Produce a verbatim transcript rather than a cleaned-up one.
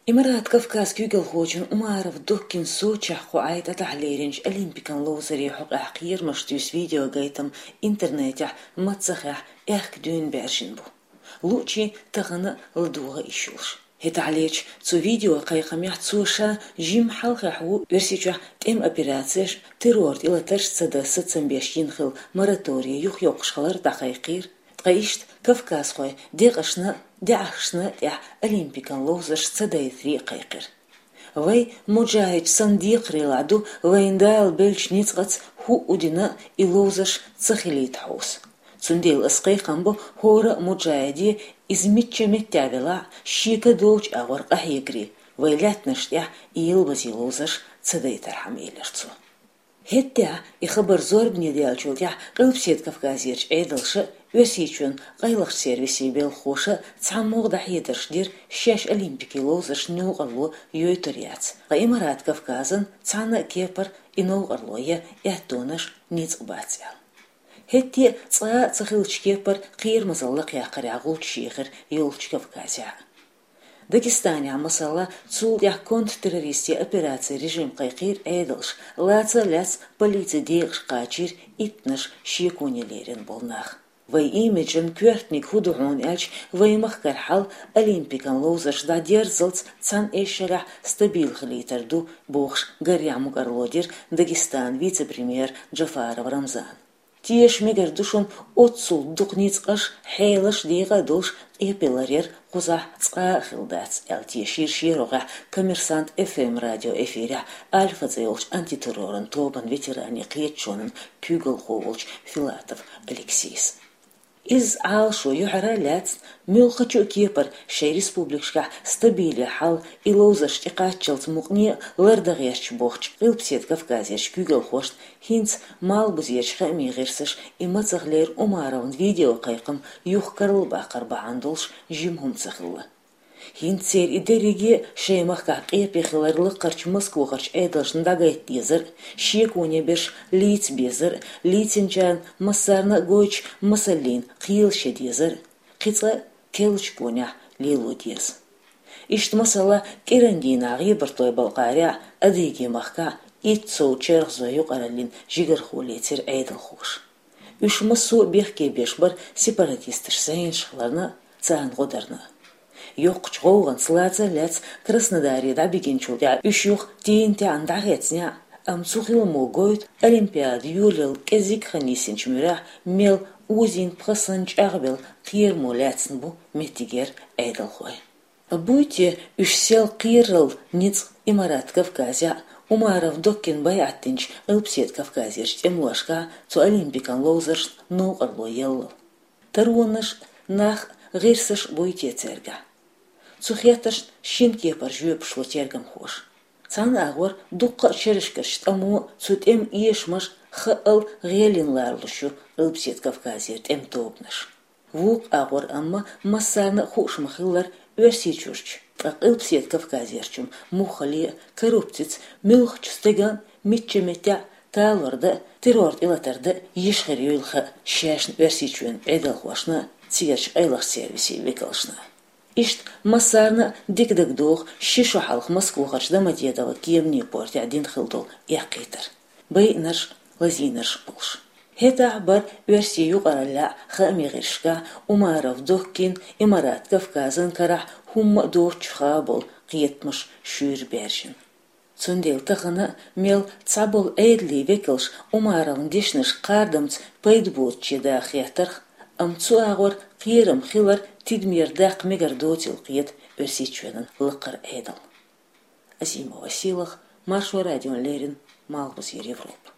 Имарат Кавказ куьйгалхочун Умаров Доккин Сочехь кху Ӏай тӀадахьа леринчу Олимпикан ловзаре хьокъехь кхерамаш туьйсу видеогайтам интернетехь маццахехь аьхка дуьйна баьржина бу. Луучийн тахана а ладогӀа йиш йолуш. ХӀетахьлерчу цу видеокхайкхамехь цо ша жимма хьалхахь ву Оьрсийчохь тӀеман операцеш, террор тӀелатарш ца дан сацам беш йина хилла мораторий юхайоккхуш хилар дӀакхайкхийра. Ткъа иштта кавказхойн декъашна а, даьӀахкашна а тӀехь Олимпикан ловзарш ца дайтаре а кхайкхира. Вай, муджахӀидаш санна, декхарийлахь ду вайна Дала беллачу ницкъаца хӀуъа дина а и ловзарш ца хилийта хьовса. Цундела ас кхайкхам бо хӀора а муджахӀиде, иза мичча меттехь велахь а, шега долчу агӀор къахьегарий, вайн лаьттанаш тӀехь и ялбазийн ловзарш ца дайтархьама, элира цо. ХӀеттехь, и хабар зорбане даьллачул тӀаьхьа Къилбаседа Кавказерчу Ӏедалша а, Оьрсийчоьнан къайлахчу сервисийн белхахоша а цхьаммо а дӀахьедарш дира шаьш Олимпикан ловзаршна новкъарло йойтур яц, ткъа Имарат Кавказан цхьана а кепара и новкъарло ян аьттонаш, ницкъ бац аьлла. ХӀетте а цкъа а ца хиллачу кепара кхерамазалла лакхъяккхарехь гӀулчаш ехира йолчу Кавказехь а. Дагестанехь, масала, цул тӀаьхьа контртеррористийн операцин режим кхайкхийра Ӏедалша, лаца а лаьцна полицин декъашка кхачийра иттанаш шеконе лерина болу нах. Вайн имиджан коьртаниг хӀун ду хьуна аьлча, вайн махкара хьал Олимпикан ловзарш дӀадерззалц цхьана эшшарехь стабил хилийтар ду, бохуш, гарехь мукӀарло дира Дагестанан вице-премьера Джафаров Рамзана. Теша мегар ду шуна оццул дукха ницкъаш, хьелаш декъа а долуш, къепе ларъяр кхузахь цкъа а хилла дац, аьлла тешийра шен рогӀехь Коммерсант F M радион эфирехь Альфа цӀе йолчу антитерроран тобан ветеранийн кхеташонан куьйгалхо волчу Филатов Алексейс. Иза Ӏалашо юьхьара а лаьцна, муьлххачу а кепара шайн республикашкахь стабиле хьал и ловзарш тӀекхаччалц мукъане а лардан гӀерташ бохучу Къилбаседа Кавказерчу куьйгалхошна хӀинца Малхбузерчу хаамийн гӀирсаша и мацахлера Умаровн видеокхайкхам юха карла баккхар бахьана долуш жима хӀума ца хилла. ХӀинца церан и дерриге а шайн махкахь къепе хилар лакхарчу Москвахарчу Ӏедалшна дӀагайта дезар а, шеконе берш лийца безар а, лийцинчарна массарна а гойтуш масаллина кхелаш ян дезар а, кхин цкъа а керлачу гонехь лело деза. Иштта, масала, кӀиран дийнахь ГӀебартойн-Балкхарехь а, Адыгейн махкахь а итт сов чергазойн юкъараллин жигархо лецира Ӏедалхоша. Уьш массо а бехке беш бара сепаратисташ зӀенаш хиларна а, царна гӀо дарна а. Йоккхачу гӀовгӀанца лаца а лаьцна Краснодаре дӀабигинчул тӀаьхьа уьш юха тийна-таьӀна дӀахецнехь а, амма цу хиламо гойту Олимпиада йолаялла кӀезиг хан йисинчу муьрехь мел озийна пхи сан чӀагӀбелла кхерамо лаьцна бу меттигера Ӏедалхой. Буй те уьш сел кхераралла ницкъ Имарат Кавказехь а, Умаров Доккина байӀат динчу Къилбаседа Кавказерчу тӀемалошкахь а цу олимпикан ловзаршна новкъарло яллал? Таронаш а, нах а, гӀирсаш а буй те цаьргахь? Цу хеттаршна шина кепара жоьпаш ло тергамхоша. Цхьана агӀор дуккха а шерашкарчу тӀамо а, цу тӀеман эшамаш а хаъал гӀелина ларалуш ю Къилбаседа Кавказера тӀеман тобанаш. Вукху агӀор амма массарна а хууш ма-хиллара, Оьрсийчуьрчу, ткъа Къилбаседа Кавказерчу муххале а коррупцица муьлххачу стеган а, мичча меттехь а талор дан а, террор тӀелатар дан а йиш хир юйла хаьа шаьшна Оьрсийчоьнан Ӏедалхошна а, церачу къайлахчу сервисийн векалшна а. Иштта массарна а дика дагадогӀу ши шо хьалха Москвахарчу Домодедово кеманийн портехь дина хилла долу эккхийтар. Байинарш а, лазийнарш а болуш. ХӀетахь а бара оьрсийн юкъараллехь а, хаамийн гӀирсашкахь а Умаров Доккин, Имарат Кавказан карахь хӀумма а доцучух а болу кхетамаш шуьйра баьржина. Цундела тахана а мел цхьаболу Ӏедалийн векалш Умаровн дешнашка кхардамца пайда боцучу даха хеттарх, амма цу агӀор кхерам хилар тидамера даккха мегар доцийла кхета Оьрсийчоьнан лакхара Ӏедал. Азимова Сийлаха, Маршо радиона леррина, Малхбузера Европа.